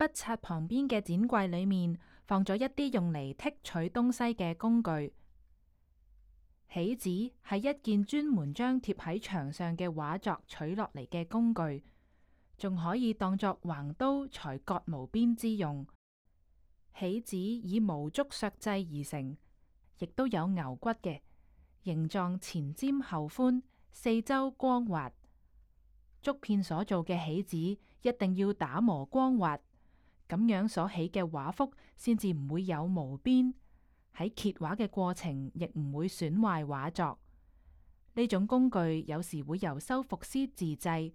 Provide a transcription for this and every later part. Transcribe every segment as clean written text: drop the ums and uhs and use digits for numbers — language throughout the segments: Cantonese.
筆刷旁邊嘅展櫃裏面放咗一啲用嚟剔取東西嘅工具。起子係一件專門將貼喺牆上嘅畫作取落嚟嘅工具，仲可以當作橫刀裁割毛邊之用。起子以毛竹削製而成，亦都有牛骨嘅，形狀前尖後寬，四周光滑。竹片所做嘅起子一定要打磨光滑，咁樣所起嘅畫幅先至唔會有毛邊，喺揭畫嘅過程亦唔會損壞畫作。呢種工具有時會由修復師自製，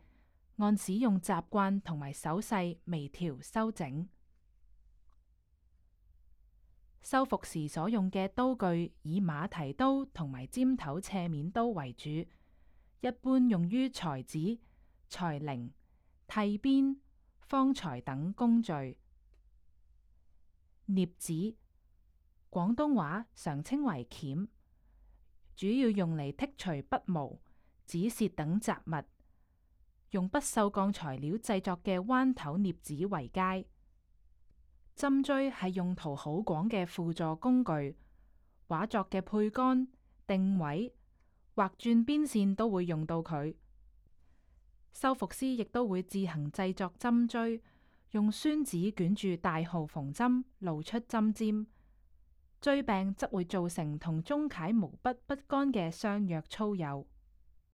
按使用習慣同埋手勢微調修整。修復時所用嘅刀具以馬蹄刀同埋尖頭斜面刀為主，一般用於裁紙、裁棱、剃邊、方裁等工序。鑷子，廣東話常稱為鉗，主要用嚟剔除筆毛、紙屑等雜物，用不鏽鋼材料製作嘅彎頭鑷子為佳。針錐係用途好廣嘅輔助工具，畫作嘅配杆、定位、畫轉邊線都會用到佢。修復師亦都會自行製作針錐，用宣紙捲住大號縫針，露出針尖。錐柄則會造成同中楷毛筆不乾嘅相約粗幼。